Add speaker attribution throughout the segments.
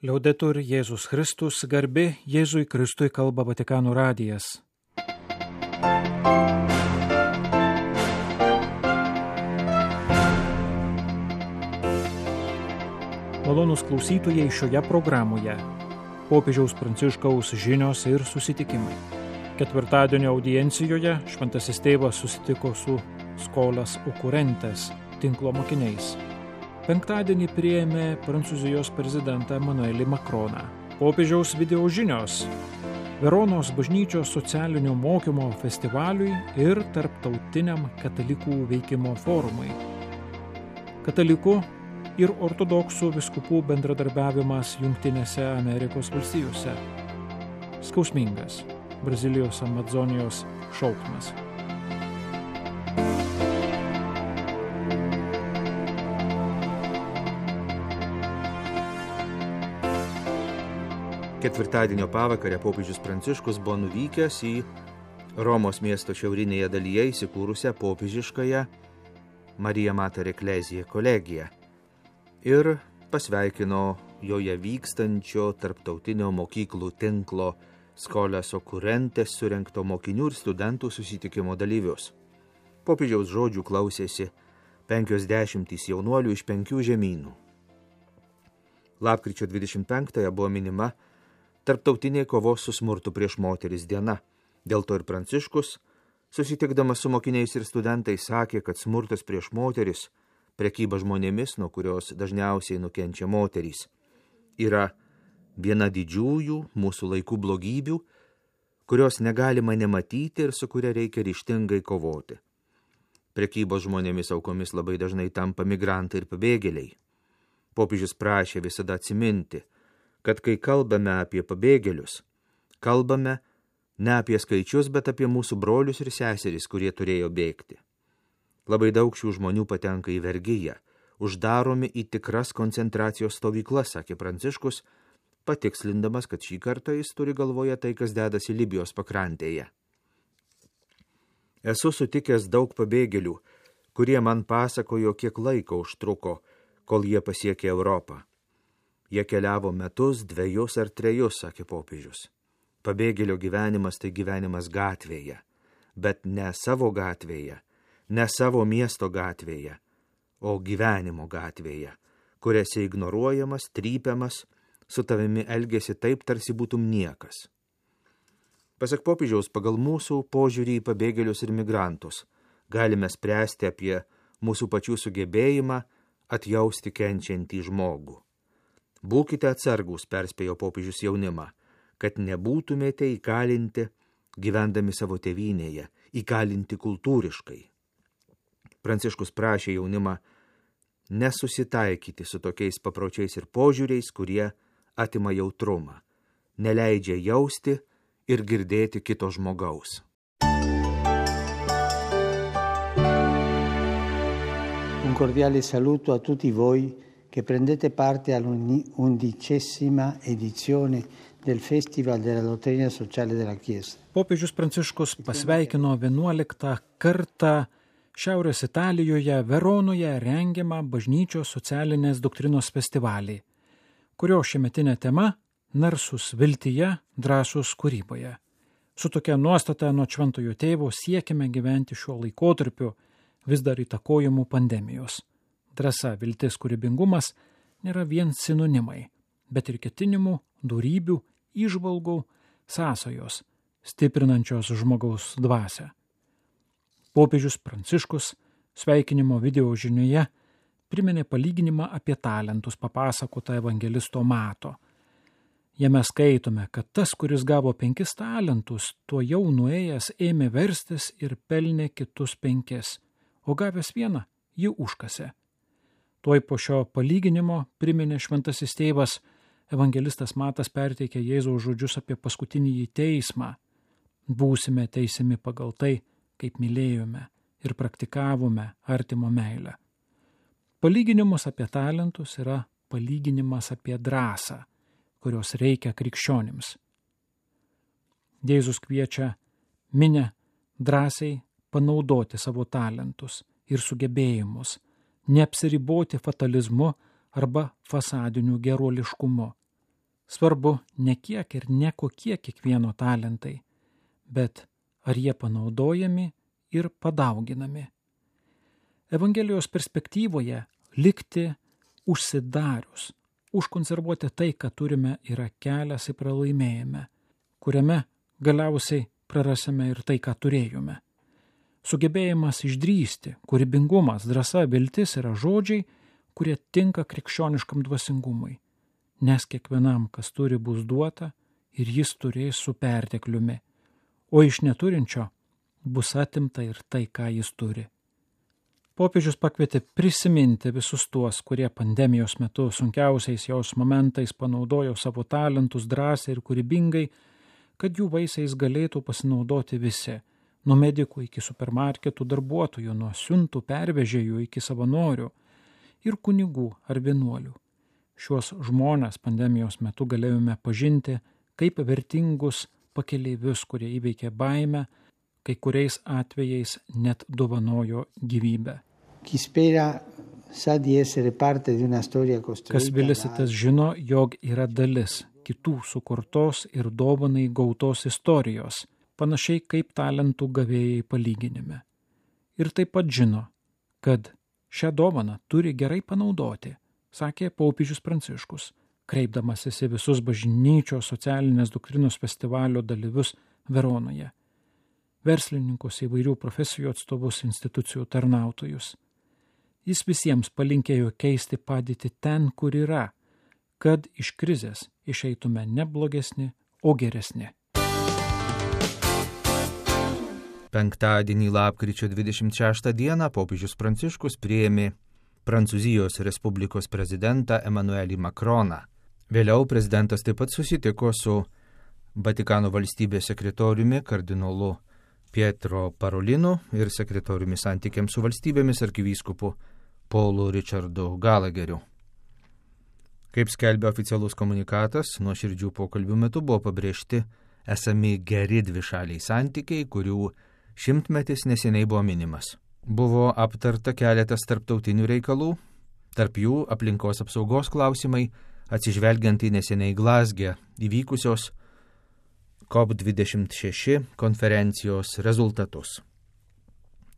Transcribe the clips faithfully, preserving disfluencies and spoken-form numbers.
Speaker 1: Liaudetur Jėzus Kristus, garbė Jėzui Kristui, kalba Vatikano radijas. Malonūs klausytojai, šioje programoje popiežiaus Pranciškaus žinios ir susitikimai. Ketvirtadienio audiencijoje šventasis tėvas susitiko su Scholas Occurrentes tinklo mokiniais. Penktadienį priėmė Prancūzijos prezidentą Emmanuelį Macroną. Popiežiaus video žinios Veronos bažnyčios socialinio mokymo festivaliui ir tarptautiniam katalikų veikimo forumui. Katalikų ir ortodoksų vyskupų bendradarbiavimas Jungtinėse Amerikos valstijose. Skausmingas Brazilijos Amazonijos šauksmas.
Speaker 2: Ketvirtadienio pavakarę popiežius Pranciškus buvo nuvykęs į Romos miesto šiaurinėje dalyje įsikūrusią popiežiškąją Maria Mater Ecclesiae kolegiją ir pasveikino joje vykstančio tarptautinio mokyklų tinklo Scholas Occurrentes surengto mokinių ir studentų susitikimo dalyvius. Popiežiaus žodžių klausėsi penkios dešimtys jaunuolių iš penkių žemynų. Lapkričio dvidešimt penktąją buvo minima Tarptautinė kovos su smurtu prieš moteris diena. Dėl to ir Pranciškus, susitikdamas su mokiniais ir studentais, sakė, kad smurtas prieš moteris, prekyba žmonėmis, nuo kurios dažniausiai nukenčia moterys, yra viena didžiųjų mūsų laikų blogybių, kurios negalima nematyti ir su kuria reikia ryžtingai kovoti. Prekybos žmonėmis aukomis labai dažnai tampa migrantai ir pabėgėliai. Popiežius prašė visada atsiminti, kad kai kalbame apie pabėgėlius, kalbame ne apie skaičius, bet apie mūsų brolius ir seseris, kurie turėjo bėgti. Labai daug šių žmonių patenka į vergiją, uždaromi į tikras koncentracijos stovyklas, sakė Pranciškus, patikslindamas, kad šį kartą jis turi galvoje tai, kas dedasi Libijos pakrantėje. Esu sutikęs daug pabėgėlių, kurie man pasakojo, kiek laiko užtruko, kol jie pasiekė Europą. Jie keliavo metus, dvejus ar trejus, sakė popiežius. Pabėgėlio gyvenimas tai gyvenimas gatvėje, bet ne savo gatvėje, ne savo miesto gatvėje, o gyvenimo gatvėje, kur esi ignoruojamas, trypiamas, su tavimi elgiasi taip, tarsi būtum niekas. Pasak popiežiaus, pagal mūsų požiūrį į pabėgėlius ir migrantus galime spręsti apie mūsų pačių sugebėjimą atjausti kenčiantį žmogų. Būkite atsargūs, perspėjo popiežius jaunimą, kad nebūtumėte įkalinti gyvendami savo tėvynėje, įkalinti kultūriškai. Pranciškus prašė jaunimą nesusitaikyti su tokiais papročiais ir požiūriais, kurie atima jautrumą, neleidžia jausti ir girdėti kito žmogaus.
Speaker 3: Un cordiale saluto a tutti voi che prendete parte all'undicesima edizione del Festival della Dottrina Sociale della Chiesa.
Speaker 1: Popiežius Pranciškus pasveikino vienuoliktą kartą Šiaurės Italijoje, Veronoje rengiamą bažnyčios socialinės doktrinos festivalį, kurio šiemetinė tema – narsus viltyje, drąsus kūryboje. Su tokia nuostata nuo šventojo tėvo siekime gyventi šiuo laikotarpiu vis dar įtakojamų pandemijos. Drąsa, viltis, kūrybingumas nėra vien sinonimai, bet ir ketinimų, dorybių, įžvalgų, sąsajos, stiprinančios žmogaus dvasią. Popiežius Pranciškus sveikinimo video žinioje priminė palyginimą apie talentus papasakotą evangelisto Mato. Jame skaitome, kad tas, kuris gavo penkis talentus, tuo jau nuėjęs ėmė verstis ir pelnė kitus penkis, o gavęs vieną jį užkasė. Tuoj po šio palyginimo priminė šventasis tėvas, evangelistas Matas perteikė Jėzaus žodžius apie paskutinįjį teismą. Būsime teisiami pagal tai, kaip mylėjome ir praktikavome artimo meilę. Palyginimus apie talentus yra palyginimas apie drąsą, kurios reikia krikščionims. Jėzus kviečia minią drąsiai panaudoti savo talentus ir sugebėjimus, neapsiriboti fatalizmu arba fasadiniu geruoliškumu, Svarbu ne kiek ir ne kokie kiekvieno talentai, bet ar jie panaudojami ir padauginami. Evangelijos perspektyvoje likti užsidarius, užkonservuoti tai, ką turime, yra kelias į pralaimėjimą, kuriame galiausiai prarasime ir tai, ką turėjome. Sugebėjimas išdrįsti, kūrybingumas, drąsa, viltis yra žodžiai, kurie tinka krikščioniškam dvasingumui, nes kiekvienam, kas turi, bus duota ir jis turės su pertekliumi, o iš neturinčio bus atimta ir tai, ką jis turi. Popiežius pakvietė prisiminti visus tuos, kurie pandemijos metu sunkiausiais jos momentais panaudojo savo talentus drąsiai ir kūrybingai, kad jų vaisiais galėtų pasinaudoti visi, nuo medikų iki supermarketų darbuotojų, nuo siuntų pervežėjų iki savanorių ir kunigų ar vienuolių. Šiuos žmones pandemijos metu galėjome pažinti kaip vertingus pakeleivius, kurie įveikė baimę, kai kuriais atvejais net dovanojo gyvybę. Kas vilisi, tas žino, jog yra dalis kitų sukurtos ir dovanai gautos istorijos, panašiai kaip talentų gavėjai palyginime. Ir taip pat žino, kad šią dovaną turi gerai panaudoti, sakė popiežius Pranciškus, kreipdamasis į visus bažnyčios socialinės doktrinos festivalio dalyvius Veronoje, verslininkus, įvairių profesijų atstovus, institucijų tarnautojus. Jis visiems palinkėjo keisti padėtį ten, kur yra, kad iš krizės išeitume ne blogesni, o geresni.
Speaker 2: Penktadienį lapkričio dvidešimt šeštą dieną popiežius Pranciškus priėmė Prancūzijos Respublikos prezidentą Emmanuelį Macroną. Vėliau prezidentas taip pat susitiko su Vatikano valstybės sekretoriumi kardinolu Pietro Parolinu ir sekretoriumi santykiams su valstybėmis arkivyskupu Paulu Richardu Gallagheriu. Kaip skelbia oficialus komunikatas, nuo širdžių pokalbių metu buvo pabrėžti esami geri dvišaliai santykiai, kurių šimtmetis neseniai buvo minimas. Buvo aptarta keletas tarptautinių reikalų, tarp jų aplinkos apsaugos klausimai, atsižvelgiant į neseniai Glazge įvykusios COP dvidešimt šeši konferencijos rezultatus.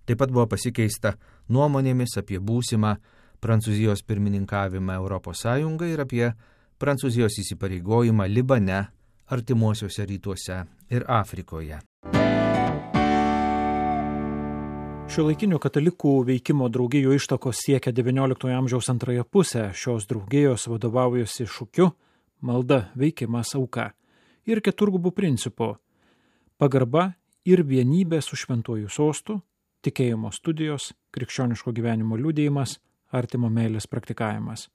Speaker 2: Taip pat buvo pasikeista nuomonėmis apie būsimą Prancūzijos pirmininkavimą Europos Sąjungai ir apie Prancūzijos įsipareigojimą Libane, artimuosiuose rytuose ir Afrikoje.
Speaker 1: Šiuolaikinių katalikų veikimo draugijų ištakos siekia devynioliktojo amžiaus antrąją pusę. Šios draugijos vadovaujasi šūkiu malda, veikimas, auka ir keturgubų principų – pagarba ir vienybė su šventuoju sostu, tikėjimo studijos, krikščioniško gyvenimo liudijimas, artimo meilės praktikavimas.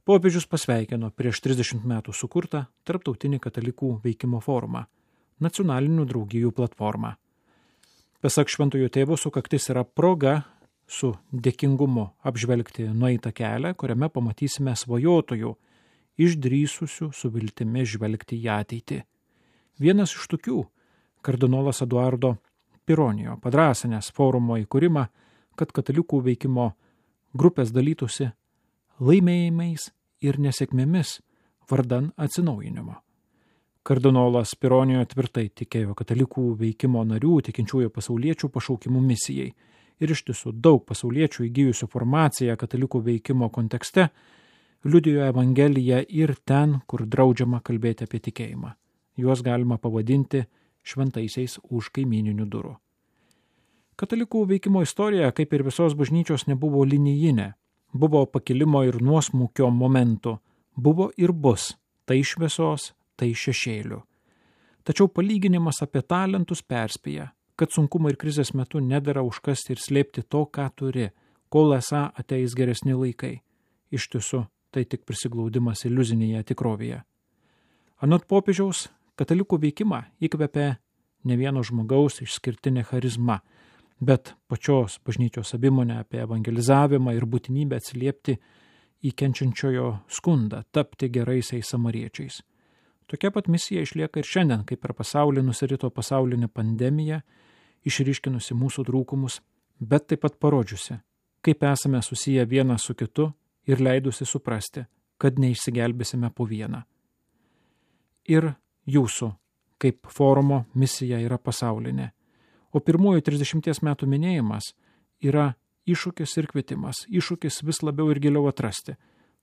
Speaker 1: Popiežius pasveikino prieš trisdešimt metų sukurtą Tarptautinį katalikų veikimo forumą – nacionalinių draugijų platformą. Pasak šventojo tėvo, sukaktis yra proga su dėkingumu apžvelgti nueitą kelią, kuriame pamatysime svajotojų, išdrįsusių su viltimi žvelgti į ateitį. Vienas iš tokių, kardinolas Eduardo Pironijo, padrąsinęs forumo įkūrimą, kad katalikų veikimo grupės dalytųsi laimėjimais ir nesėkmėmis vardan atsinaujinimo. Kardinolas Pironijo tvirtai tikėjo katalikų veikimo narių, tikinčiųjų pasauliečių pašaukimų misijai ir iš tiesų daug pasauliečių įgijusių formaciją katalikų veikimo kontekste liudijo Evangeliją ir ten, kur draudžiama kalbėti apie tikėjimą. Juos galima pavadinti šventaisiais už kaimyninių durų. Katalikų veikimo istorija, kaip ir visos bažnyčios, nebuvo linijinė. Buvo pakilimo ir nuosmukio momentų. Buvo ir bus, tai šviesos, tai šešėlių. Tačiau palyginimas apie talentus perspėja, kad sunkumo ir krizės metu nedera užkasti ir slėpti to, ką turi, kol esą ateis geresni laikai. Iš tiesų, tai tik prisiglaudimas iliuzinėje tikrovėje. Anot popiežiaus, katalikų veikimą įkvepia ne vieno žmogaus išskirtinė charizma, bet pačios bažnyčios savimonė apie evangelizavimą ir būtinybę atsiliepti į kenčiančiojo skundą, tapti geraisiais samariečiais. Tokia pat misija išlieka ir šiandien, kai per pasaulį nusirito pasaulinė pandemija, išryškinusi mūsų trūkumus, bet taip pat parodžiusi, kaip esame susiję vienas su kitu ir leidusi suprasti, kad neišsigelbėsime po vieną. ir jūsų, kaip forumo misija yra pasaulinė. O pirmųjų trisdešimties metų minėjimas yra iššūkis ir kvietimas, iššūkis vis labiau ir giliau atrasti,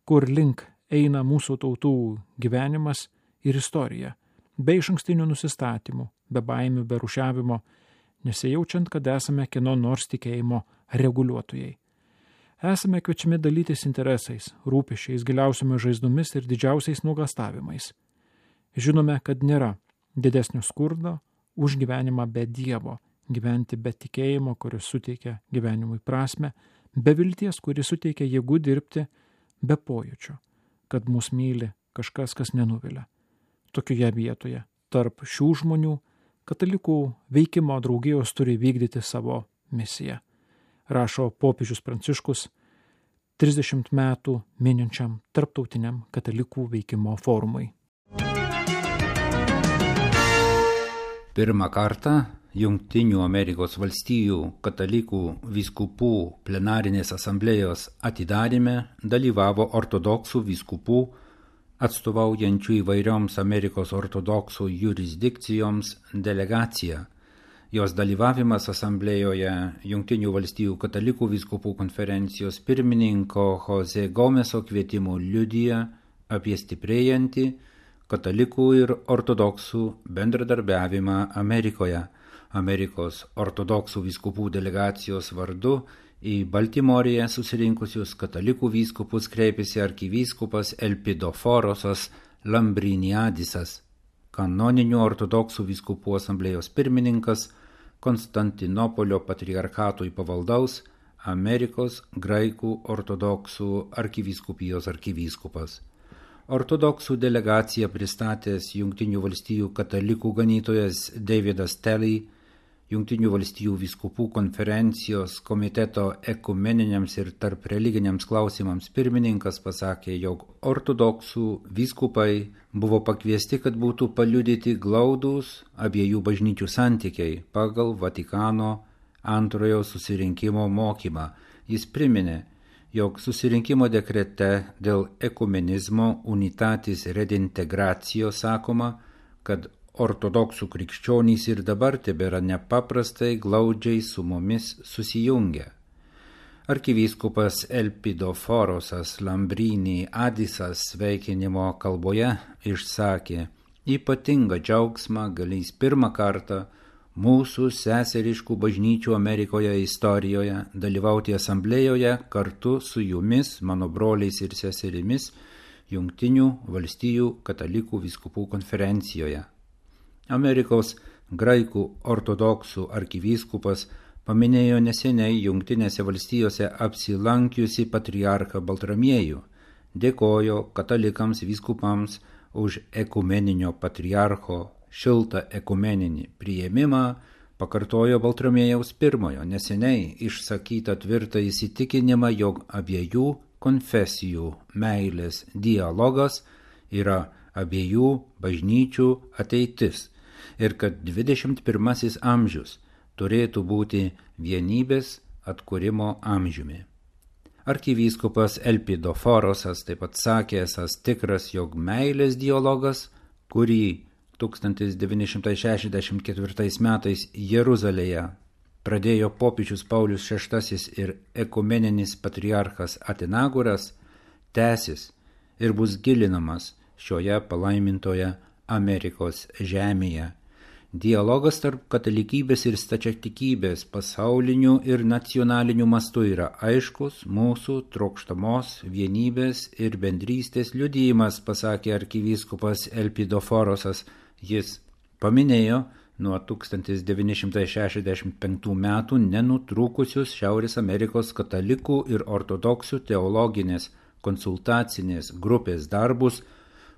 Speaker 1: kur link eina mūsų tautų gyvenimas ir istorija, be išankstinių nusistatymų, be baimių, be rušiavimo, nesijaučiant, kad esame kieno nors tikėjimo reguliuotojai. Esame kviečiami dalytis interesais, rūpesčiais, giliausiomis žaizdomis ir didžiausiais nuogastavimais. Žinome, kad nėra didesnio skurdo už gyvenimą be Dievo, gyventi be tikėjimo, kuris suteikia gyvenimui prasme, be vilties, kuris suteikia jėgų dirbti, be pojūčio, kad mus myli kažkas, kas nenuvilia. Tokioje vietoje, tarp šių žmonių, katalikų veikimo draugijos turi vykdyti savo misiją, rašo popiežius Pranciškus trisdešimt metų mininčiam tarptautiniam katalikų veikimo forumui.
Speaker 4: Pirmą kartą Jungtinių Amerikos valstijų katalikų vyskupų plenarinės asamblėjos atidaryme dalyvavo ortodoksų vyskupų atstovaujančių įvairioms Amerikos ortodoksų jurisdikcijoms delegacija. Jos dalyvavimas asamblėjoje Jungtinių valstijų katalikų vyskupų konferencijos pirmininko Jose Gomeso kvietimu liudija apie stiprėjantį katalikų ir ortodoksų bendradarbiavimą Amerikoje. Amerikos ortodoksų vyskupų delegacijos vardu į Baltimorėje susirinkusius katalikų vyskupus kreipėsi arkivyskupas Elpidoforosas Lambriniadisas, kanoninių ortodoksų vyskupų asamblėjos pirmininkas, Konstantinopolio patriarchatui pavaldaus Amerikos graikų ortodoksų arkivyskupijos arkivyskupas. Ortodoksų delegaciją pristatęs Jungtinių valstijų katalikų ganytojas Davidas Telly, Jungtinių valstijų vyskupų konferencijos komiteto ekumeniniams ir tarp religiniams klausimams pirmininkas pasakė, jog ortodoksų vyskupai buvo pakviesti, kad būtų paliudyti glaudūs abiejų bažnyčių santykiai pagal Vatikano antrojo susirinkimo mokymą. Jis priminė, jog susirinkimo dekrete dėl ekumenizmo unitatis redintegracijo sakoma, kad ortodoksų krikščionys ir dabar tebėra nepaprastai glaudžiai su mumis susijungę. Arkivyskupas Elpidoforosas Lambriniadisas sveikinimo kalboje išsakė ypatingą džiaugsmą galės pirmą kartą mūsų seseriškų bažnyčių Amerikoje istorijoje dalyvauti asamblėjoje kartu su jumis, mano broliais ir seserimis, Jungtinių valstijų katalikų vyskupų konferencijoje. Amerikos graikų ortodoksų arkivyskupas paminėjo neseniai Jungtinėse valstijose apsilankiusi patriarchą Baltramiejų, dėkojo katalikams vyskupams už ekumeninio patriarcho šiltą ekumeninį priėmimą, pakartojo Baltramiejaus pirmojo neseniai išsakytą tvirtą įsitikinimą, jog abiejų konfesijų meilės dialogas yra abiejų bažnyčių ateitis ir kad dvidešimt pirmasis amžius turėtų būti vienybės atkūrimo amžiumi. Arkivyskupas Elpidoforosas taip pat sakė esąs tikras, jog meilės dialogas, kurį tūkstantis devyni šimtai šešiasdešimt ketvirtais metais Jeruzalėje pradėjo popiežius Paulius šeštasis ir ekumeninis patriarchas Atenagoras, tęsis ir bus gilinamas šioje palaimintoje Amerikos žemėje. Dialogas tarp katalikybės ir stačiatikybės pasauliniu ir nacionaliniu mastu yra aiškus mūsų trokštamos vienybės ir bendrystės liudijimas, pasakė arkivyskupas Elpidoforosas. Jis paminėjo nuo tūkstantis devyni šimtai šešiasdešimt penktų metų nenutrūkusius Šiaurės Amerikos katalikų ir ortodoksų teologinės konsultacinės grupės darbus,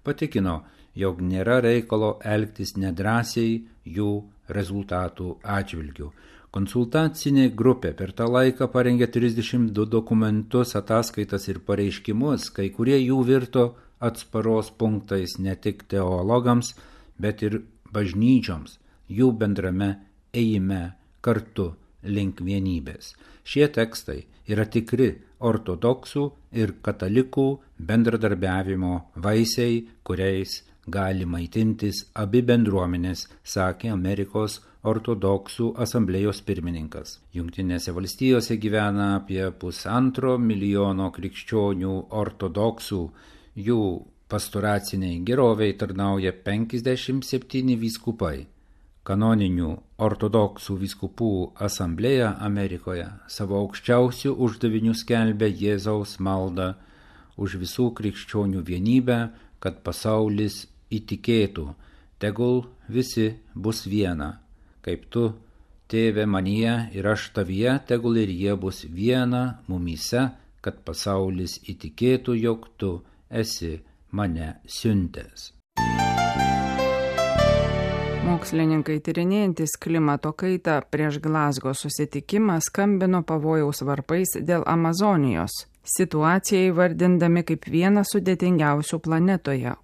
Speaker 4: patikino, jog nėra reikalo elgtis nedrąsiai jų rezultatų atžvilgių. Konsultacinė grupė per tą laiką parengė trisdešimt du dokumentus, ataskaitas ir pareiškimus, kai kurie jų virto atsparos punktais ne tik teologams, bet ir bažnyčioms, jų bendrame ėjime kartu link vienybės. Šie tekstai yra tikri ortodoksų ir katalikų bendradarbiavimo vaisiai, kuriais gali maitintis abi bendruomenės, sakė Amerikos ortodoksų asamblėjos pirmininkas. Jungtinėse valstijose gyvena apie pusantro milijono krikščionių ortodoksų, jų pastoraciniai geroviai tarnauja penkiasdešimt septyni vyskupai. Kanoninių ortodoksų vyskupų asamblėja Amerikoje savo aukščiausių uždavinių skelbia Jėzaus maldą už visų krikščionių vienybę, kad pasaulis įtikėtų, tegul visi bus viena, kaip tu, tėve manyje ir aš tavyje, tegul ir jie bus viena mumyse, kad pasaulis įtikėtų, jog tu esi mane siuntęs.
Speaker 5: Mokslininkai tyrinėjantis klimato kaitą prieš Glazgo susitikimą skambino pavojaus varpais dėl Amazonijos, situaciją įvardindami kaip vieną sudėtingiausių planetoje.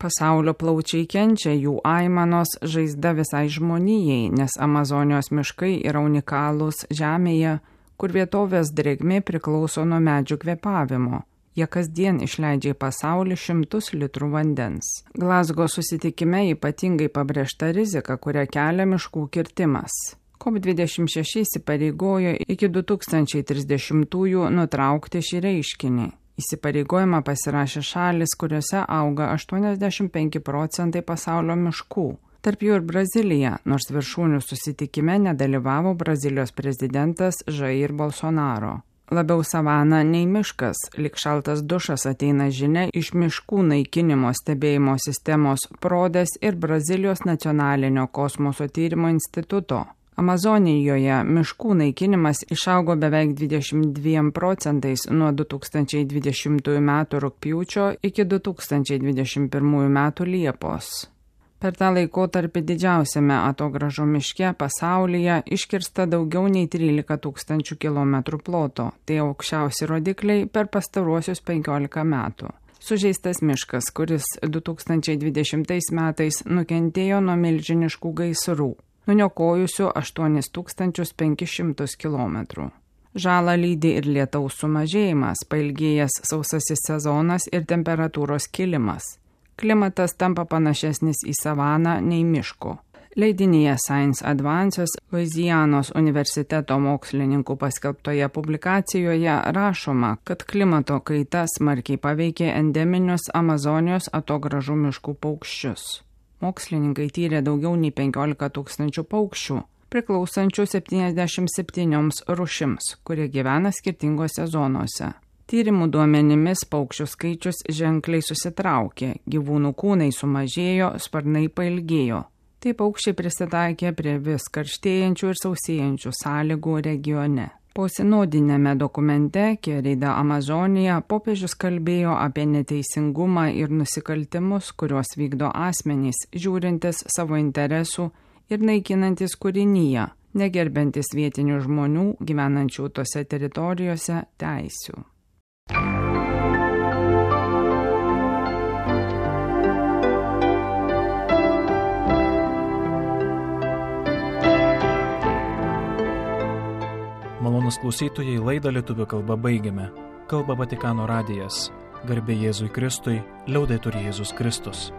Speaker 5: Pasaulio plaučiai kenčia, jų aimanos žaizda visai žmonijai, nes Amazonijos miškai yra unikalūs žemėje, kur vietovės drėgmė priklauso nuo medžių kvėpavimo. Jie kasdien išleidžia į pasaulį šimtus litrų vandens. Glazgo susitikime ypatingai pabrėžta rizika, kurią kelia miškų kirtimas. COP dvidešimt šeši įsipareigojo iki du tūkstančiai trisdešimtųjų nutraukti šį reiškinį. Įsipareigojimą pasirašė šalis, kuriuose auga aštuoniasdešimt penki procentai pasaulio miškų. Tarp jų ir Brazilija, nors viršūnių susitikime nedalyvavo Brazilijos prezidentas Jair Bolsonaro. Labiau savana nei miškas, lyg šaltas dušas ateina žinia iš miškų naikinimo stebėjimo sistemos Prodės ir Brazilijos nacionalinio kosmoso tyrimo instituto. Amazonijoje miškų naikinimas išaugo beveik dvidešimt dviem procentais nuo du tūkstančiai dvidešimtųjų metų rugpjūčio iki du tūkstančiai dvidešimt pirmųjų metų Liepos. Per tą laikotarpį didžiausiame Atogrąžų miške pasaulyje iškirsta daugiau nei trylika tūkstančių kilometrų ploto, tai aukščiausi rodikliai per pastaruosius penkiolika metų. Sužeistas miškas, kuris du tūkstančiai dvidešimtais metais nukentėjo nuo milžiniškų gaisrų, nuniokojusių aštuonis tūkstančius penkis šimtus kilometrų. Žalą lydi ir lietaus sumažėjimas, pailgėjęs sausasis sezonas ir temperatūros kilimas. Klimatas tampa panašesnis į savaną nei miško. Leidinyje Science Advances Luizianos universiteto mokslininkų paskelbtoje publikacijoje rašoma, kad klimato kaita smarkiai paveikė endeminius Amazonijos atogrąžų miškų paukščius. Mokslininkai tyrė daugiau nei penkiolika tūkstančių paukščių, priklausančių septyniasdešimt septynioms rūšims, kurie gyvena skirtingose zonose. Tyrimų duomenimis paukščių skaičius ženkliai susitraukė, gyvūnų kūnai sumažėjo, sparnai pailgėjo. Tai paukščiai prisitaikė prie vis karštėjančių ir sausėjančių sąlygų regione. Posinodinėme dokumente Querida Amazonija popiežius kalbėjo apie neteisingumą ir nusikaltimus, kuriuos vykdo asmenys, žiūrintis savo interesų ir naikinantis kūrinyje, negerbiantis vietinių žmonių gyvenančių tose teritorijose teisių.
Speaker 1: Malonūs klausytojai, laidą lietuvių kalba baigiame. Kalba Vatikano radijas. Garbė Jėzui Kristui, liaudetur Jėzus Kristus.